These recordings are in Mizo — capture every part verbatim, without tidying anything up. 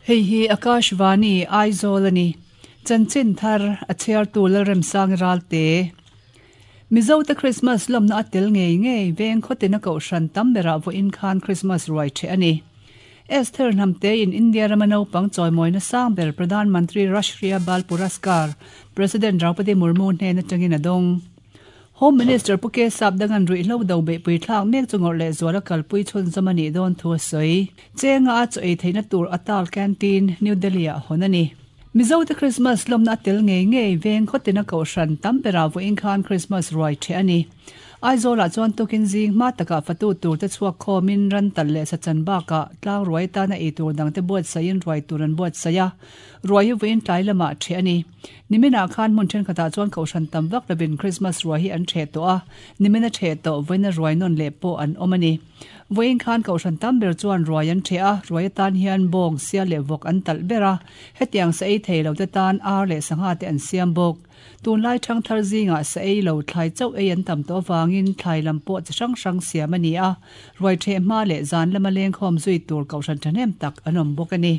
Hei hi Akashvani Aizawl ani. Chanchin thar a chhiar tu Lalremsang Ralte. Mizo te Christmas lawmna a tel ngei ngei veng khawtin a kohhran tam berah vawiin khan Christmas ruai the ani. Esther Hnamte in India rama naupang chawimawina sang ber Pradhan Mantri Rashtriya Bal Puraskar President Draupadi Murmu hnen atangin a dawng. Home Minister Pu K Sapdangan ruihhlo do beihpui thlak mek chu ngawrh leh zuala kalpui chhun zawm a nih dawn thu a sawi. Chenga a chaw ei theihna tur Atal Canteen, New Delhi ah hawn a ni. Mizo te Christmas lawmna a tel ngei ngei veng khawtin a kohhran tam berah vawiin khan Christmas ruai the a ni. Aizawlah chuan tukin zing hma takah fatu tur te chhuak khawmin ran tal leh sachan bakah tlang ruai tana ei tur dang te buatsaiin ruai tur an buatsaih a. Ruai hi vawiin tlai lamah the a ni. Niminah khan hmun thenkhatah chuan kohhran tam vak lovin Christmas ruai hi an the tawh a. Nimina the tawh vawiina ruai nawn leh pawh an awm a ni. Vawiin khan kohhran tam ber chuan ruai an the a. Ruai atan hian bawng, sial leh vawk an talh ber a. Hetiang sa ei thei lo te tan ar leh sangha te an siam bawk. Tunlai thang thar zingah sa ei lo thlai chauh ei an tam tawh avangin thlai lam pawh chi hrang hrang siam a ni a. Ruai the hma leh zan lama leng khawm zui tur kohhran thahnem tak an awm bawk a ni.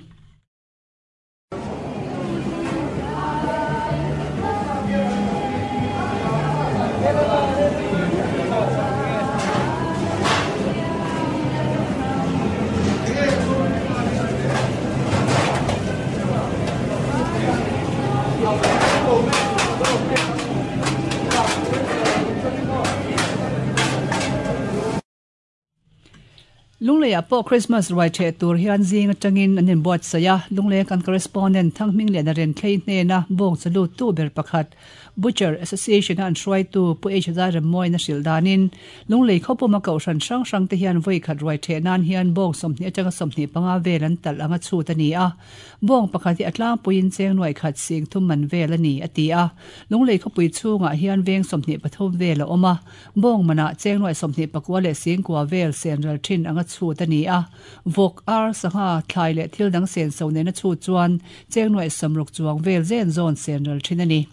Lungleia pawh Christmas ruai the tur hian zing atangin an inbuatsaih a. Lunglei kan correspondent Thangming leh Naren Thlei hnena bawng chalu tu ber pakhat Butcher Association a an hruaitu Pu H Zairemmawi na hrilh danin Lunglei khawpuma kohhran hrang hrang te hian vawi khat ruai the nan hian bawng sawmhnih atanga sawmhnih panga vel an talh anga chhut a ni a. Bawng pakhat hi a tlangpuiin cheng nuai khat sing thum man vel a ni a ti a. Lunglei khawpui chhungah hian veng sawmhnih pathum vel a awm a. Bawng manah cheng nuai sawmhnih pakua leh singkua vel senral thin anga chhut a ni a. Vawk ar sangha thlai leh thil dang sen so nena chhut chuan cheng nuai samruk chuang vel zen zawn senral thin a ni.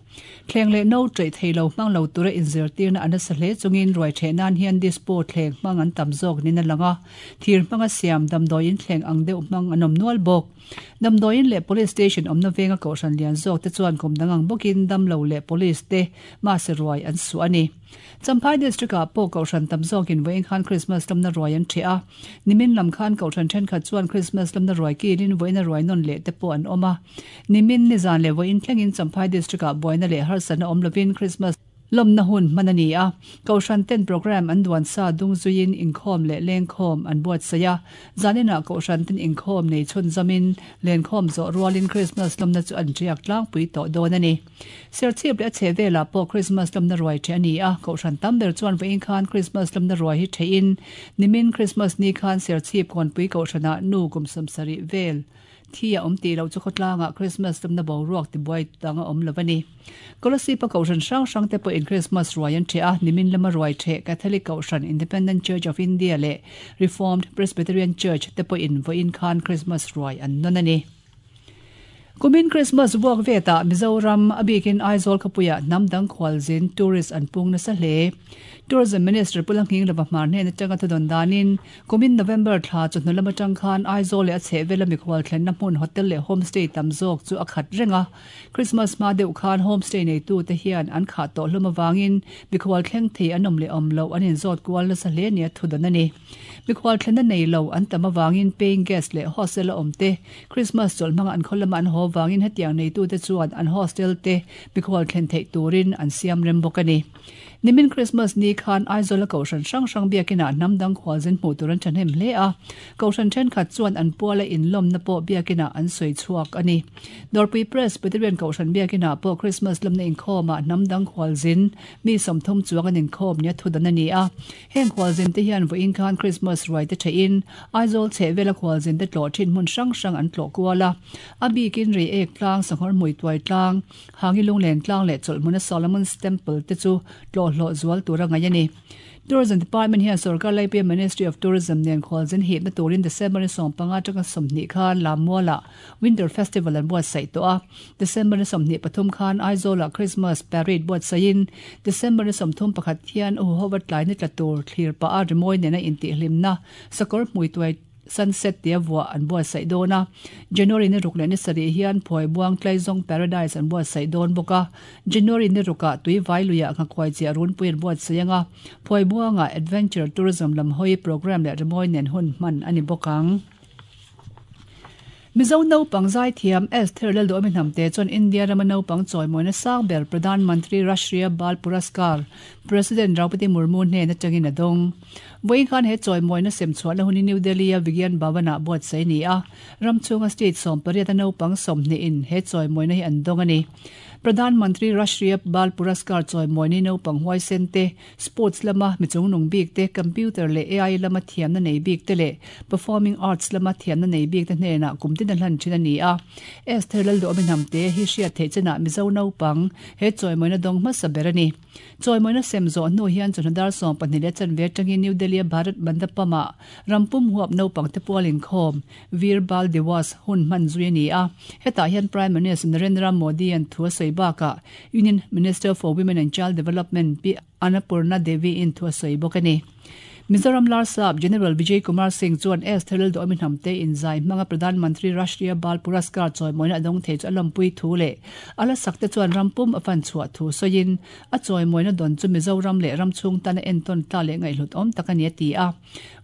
Thleng leh no ṭeih thei lo hmang lo tura inzirtirna an nasa hle chungin ruai the nan hian dispo thleng hmang an tam zawk nin a lang a. Thir hmanga siam damdawiin thleng ang deuh hmang an awm nual bawk. Damdawiin leh police station awmna venga kohhran lian zawk te chuan kum dang ang bawkin dam lo leh police te mahse ruai an suh a ni. Champhai district ah pawh kohhran tam zawkin vawiin khan Christmas lamna ruai an the a. Nimin lam khan kohhran thenkhat chuan Christmas lamna ruai kilin vawiina ruai nawn leh te pawh an awm a. Nimin nizan leh vawiin thlengin Champhai district ah buaina leh harsatna awm lovin Christmas lawmna hun hman a ni a. Kohhran ten program an duan sa dung zuiin inkhawm leh lengkhawm an buatsaih a. Zaninah kohhran ten inkhawm nei chhun zamin lenkhawm zawh rualin Christmas lawmna chu an riak tlangpui tawh dawn a ni. Serchhip leh a chhe velah pawh Christmas lawmna ruai the a ni a. Kohhran tam ber chuan vawiin khan Christmas lawmna ruai hi thein nimin Christmas ni khan Serchhip kawnpui kohhranah nu kum sawmsarih vel thi a awm tih loh chu khawtlangah Christmas lamna boruak tibuai dang a awm lo a ni. Kolasib a kohhran hrang hrang te pawhin Christmas ruai an the a. Nimin lama ruai the Catholic kohhran Independent Church of India leh Reformed Presbyterian Church te pawhin vawiin khan Christmas ruai an nawn a ni. Kumin Christmas vuak vetah Mizoram a bikin Aizawl khawpuiah hnam dang khualzin tourist an pung nasa hle. Tourism Minister Pu Langhing lova hmar hnen atanga thudawn danin kumin November thla chu hnu lam atang khan Aizawl leh a chhehvela mikhual thlenna hmun hotel leh homestay tam zawk chu a khat reng a. Christmas hma deuh khan homestay neitu te hian an khah tawh hlawm awangin mikhual thleng thei an awm leh awm lo an inzawt kual nasa hle nia thudawn a ni. Mikhual thlenna nei lo an tam awangin paying guest leh hostel a awm te Christmas chawlh hmanga an khaw lama an haw awangin hetiang neitu te chuan an hostel te mikhual thlen theih turin an siam rem bawk a ni. Nimin Christmas ni khan Aizawl a kohhran hrang hrang biakinah hnam dang khualzin hmuh tur an thahnem hle a. Kohhran thenkhat chuan an puala inlawmna pawh biakinah an sawi chhuak a ni. Dawrpui Presbyterian kohhran biakinah pawh Christmas lamna inkhawmah hnam dang khualzin mi sawmthum chuang an inkhawm nia thudan a ni a. Heng khualzin te hian vawiin khan Christmas ruai te thein Aizawl chhehvela khualzin te tlawh thin hmun hrang hrang an tlawh kual a. A bikin rei ek tlang, sanghawr hmui tuai tlang, hangi lunglen tlang leh chawlhmuna Solomon's Temple te chu tlawh hlawh zual tura ngai a ni. Tourism Department hian Sarkar Laipia Ministry of Tourism nen khualzin hipna turin December ni sawm panga atanga sawmhnih khan Lammualah Winter Festival an buatsaih tawh a. December ni sawmhnih pathum khan Aizawlah Christmas Parade buatsaihin December ni sawmthum pakhat hian u huhova tlai ni tla tur thlir pah a rimawi nena intihhlimna sakawr hmui tuai Sunset tia vua an buatsaih dawn a. January ni ruk leh ni sarih hian Phuaibuang Tlaizawng Paradise an buatsaih dawn bawk a. January ni rukah Tuivai luiah Nghakhuai chiah runpui an buatsaih anga Phuaibuangah Adventure Tourism lam hawi programme leh rimawi nen hun hman a ni bawk ang. Mizo naupang zaithiam Esther Lalduhawmi Hnamte chuan India rama naupang chawimawina sang ber Pradhan Mantri Rashtriya Bal Puraskar President Draupadi Murmu hnen atangin a dawng. Vawiin khan he chawimawina sem chhuahna hun hi New Delhi-a Vigyan Bhavan-ah buatsaih a ni a. Ram chhunga state sawm pariat a naupang sawmhnihin he chawimawina hi an dawng a ni. Pradhan Mantri Rashtriya Bal Puraskar chawimawina hi naupang huaisen te, sports lama mi chungnung bik te, computer leh A I lama thiamna nei bik te leh performing arts lama thiamna nei bik te hnenah kum tin a hlan thin a ni a. Esther Lalduhawmi Hnamte hi hriat theih chenah Mizo naupang he chawimawina dawng hmasa ber a ni. Chawimawina sem zawh hnu hian chawhna dar sawm pahnih leh chanve atangin New Delhi a Bharat Mandapam-ah rampum huap naupang te pual inkhawm Veer Bal Diwas hun hman zui a ni a. Hetah hian Prime Minister Narendra Modi an thu a sawi bakah Union Minister for Women and Child Development Pi Annapurna Devi in thu a sawi bawk a ni. Mizoram Larsap General Vijay Kumar Singh chuan Esther Lalduhawmi Hnamte inzai hmanga Pradhan Mantri Rashtriya Bal Puraskar chawimawina a dawng thei chu a lawmpui thu leh a la sak te chuan rampum a fan chhuah thu sawiin a chawimawina dawn chu Mizoram leh ram chhung tana entawn tla leh ngaihhlut awm tak a ni a ti a.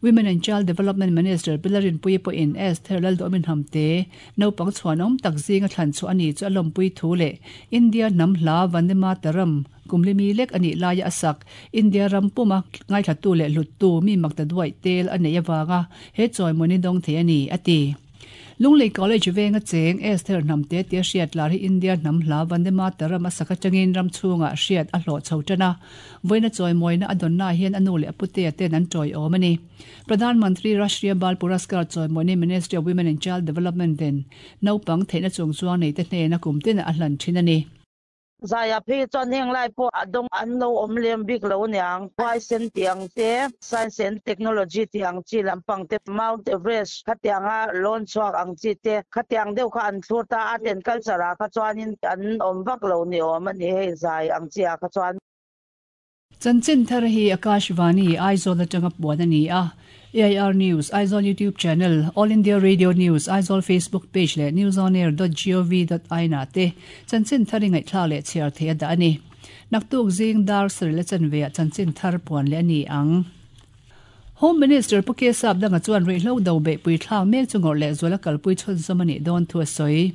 Women and Child Development Minister Pilarin Pui pawhin Esther Lalduhawmi Hnamte naupang chhuan awm tak zinga thlan chu a ni chu a lawmpui thu leh India hnam hla Vande Mataram kumlimi lek ani laia a sak India ram puma ngaithla tu leh hlut tu mi makta duai tel a nei awanga he chawimawni dawng thei a ni a ti. Lunglei College venga cheng Esther Hnamte tia hriat lar hi India hnam hla Vande Mataram a sak atangin ram chhunga hriat a hlawh chho tana. Vawiina chawimawina a dawnna hian a nu leh a putea ten an tawi awm a ni. Pradhan Mantri Rashtriya Bal Puraskar chawimawini Ministry of Women and Child Development ten naupang theihna chung chuang nei te hnena kum tin a hlan thin a ni. Zaya phi chuan heng lai pawh a dawng an lo awm lem bik lo niang huaisen tiang te science and technology tiang chi lampang te Mount Everest khatianga lawn chhuak ang chi te khatiang deuh kha an thlur ta art and culture ah kha chuanin an awm vak lo ni awm a ni hei zai ang chi ah kha chuan. Chanchin thar hi Akashvani Aizawl atanga puan a ni a. A I R News, Aizawl YouTube channel, All India Radio News, Aizawl Facebook page leh newsonair dot gov dot in ah te chanchin thar i ngaihthla leh chhiar thei a dah a ni. Naktuk zing dar sarih le chanve ah chanchin thar puan leh a ni ang. Home Minister Pu Kesap danga chuan ruihhlo do beihpui thlak mek chu ngawrh leh zuala kalpui chhunzawm a nih dawn thu a sawi.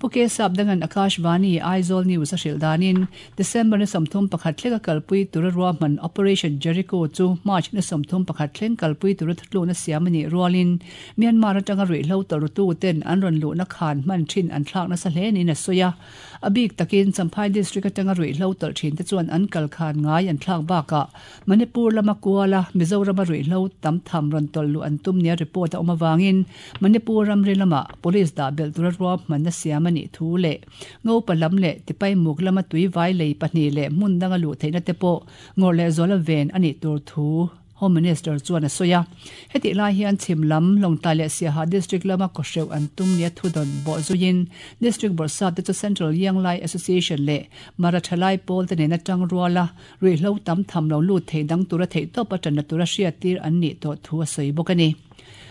Pu Kesap dangan Akashvani Aizawl News a hrilh danin December ni sawmthum pakhat thleng a kalpui tura ruahman Operation Jericho chu March ni sawmthum pakhat thleng kalpui tura thutlukna siam a nih rualin Myanmar atanga ruihhlo tawrtu ten an rawn luhna khan hman thin an thlakna sa hle niin a sawi a. A bik takin Champhai district atanga ruihhlo tawlh thin te chuan an kal khan ngai an thlak bakah Manipur lama kuala Mizoram a ruihhlo tam tham rawn tawlh luh an tum nia report a awm awangin Manipur ramri lama police dah belh tura ruahmanna siam a nih thu leh ngopa lam leh tipai muk lama tui vai lei pahnih leh hmun danga luh theihna te pawh ngawrh leh zuala ven a nih tur thu Home Minister chuan a sawi a. Heti lai hian chhim lam Lawngtlai leh Siaha district lama kawhreuh an tum nia thudawn bawh zuiin district bawrhsap te chu Central Yanglai Association leh Marathalai pawl te nen atang ruala ruihhlo tam tham lo lut thei dang tura theih tawp a tanna tura hriat tir an nih tawh thu a sawi bawk a ni.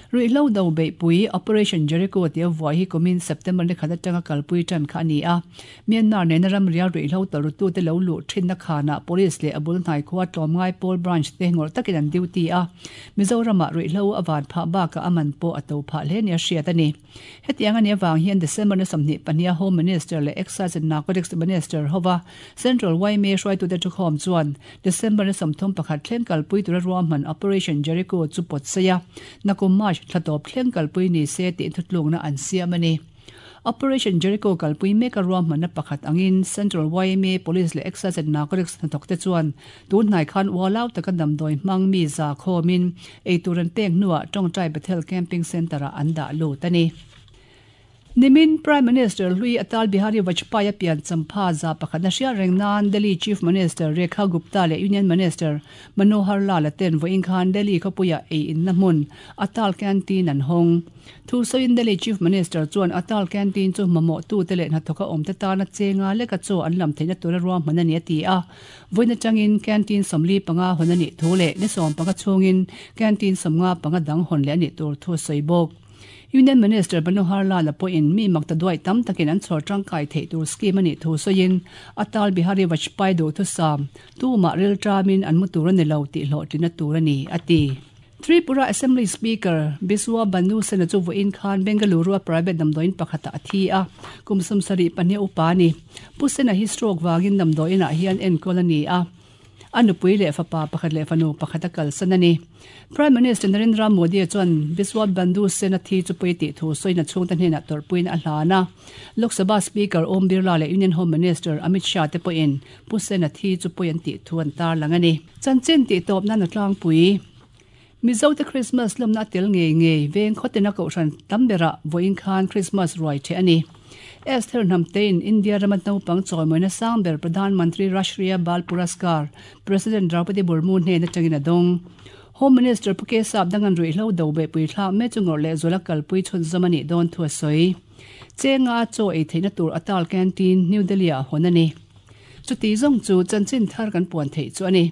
Ruihhlo do beihpui Operation Jericho tia vuai hi kumin September ni khat atanga kalpui tan kha a ni a. Myanmar nena ram rial ruihhlo tawrtu te lo luh thinna khanah police leh a bul hnai khua tlawmngai pawl branch te ngawrh takin an duty a. Mizoramah ruihhlo a van phah bakah a man pawh a to phah hle nia hriat a ni. Hetiang a ni awang hian December ni sawmhnih pahnih a Home Minister leh Excise and Narcotics Minister hova Central Y M A hruaitute thukhawm chuan December ni sawmthum pakhat thleng kalpui tura ruahman Operation Jericho chu pawt sawi a. Nakum March thlatawp thleng kalpui ni se tih thutlukna an siam a ni. Operation Jericho kalpui mek a ruahmanna pakhat angin Central Y M A Police leh Excise and Narcotics hnathawk te chuan tun hnai khan ualau taka damdawi hmang mi za khawmin eitur an pek hnuah Tawngtai Bethel Camping Centre ah an dah lut a ni. Nimin Prime Minister Hlui Atal Bihari Vajpayee pian champha za pakhat na hriat reng nan Delhi Chief Minister Rekha Gupta leh Union Minister Manohar Lal ten vawiin khan Delhi khawpuia ei in na hmun Atal Canteen an hawng. Thu sawiin Delhi Chief Minister chuan Atal Canteen chu mamawh tu te leh hnathawka awm te tana chenga leka chaw an lam theihna tura ruahman a ni a ti a. Vawiin atangin canteen sawmli panga hawn a nih thu leh ni sawm panga chhungin canteen sawmnga panga dang hawn leh a nih tur thu a sawi bawk. Union Minister Manohar Lal pawhin mi makta duai tam takin an chhawr tangkai theih tur scheme a nih thu sawiin Atal Bihari Vajpayee duh thusam tumah ril tramin an mu tur a ni lo tih hlawhtlina tur a ni a ti. Tripura Assembly Speaker Biswa Banu Sena chu vawiin khan Bengaluru a private damdawiin pakhata a thi a, kum sawmsarih pahnih upa a ni. Pu Sena hi stroke vangin damdawiinah hian enkawl a ni a. A nupui leh fapa pakhat leh fanu pakhat a kalsan a ni. Prime Minister Narendra Modi chuan Biswa Bandhu Sena thi chu pui tih thu sawina chhungte hnenah tawrhpuiin a hlan a. Lok Sabha Speaker Om Birla leh Union Home Minister Amit Shah te pawhin Pu Sena thi chu pui an tih thu an tarlang a ni. Chanchin tih tawp nan a tlangpui. Mizo te Christmas lawmna a tel ngei ngei veng khawtina kohhran tam berah vawiin khan Christmas ruai the a ni. Esther Hnamtein India rama naupang chawimawina sang ber Pradhan Mantri Rashtriya Bal Puraskar President Draupadi Murmu hnen atangin a dawng. Home Minister Pu Kesap dangan ruihhlo do be pui thlak me chu ngawrh leh zuala kalpui chhunzawm a nih dawn thu a sawi. Chenga chaw ei theihna tur Atal Canteen New Delhi ah hawn a ni. Chuti zawng chu chanchin thar kan puan theih chu a ni.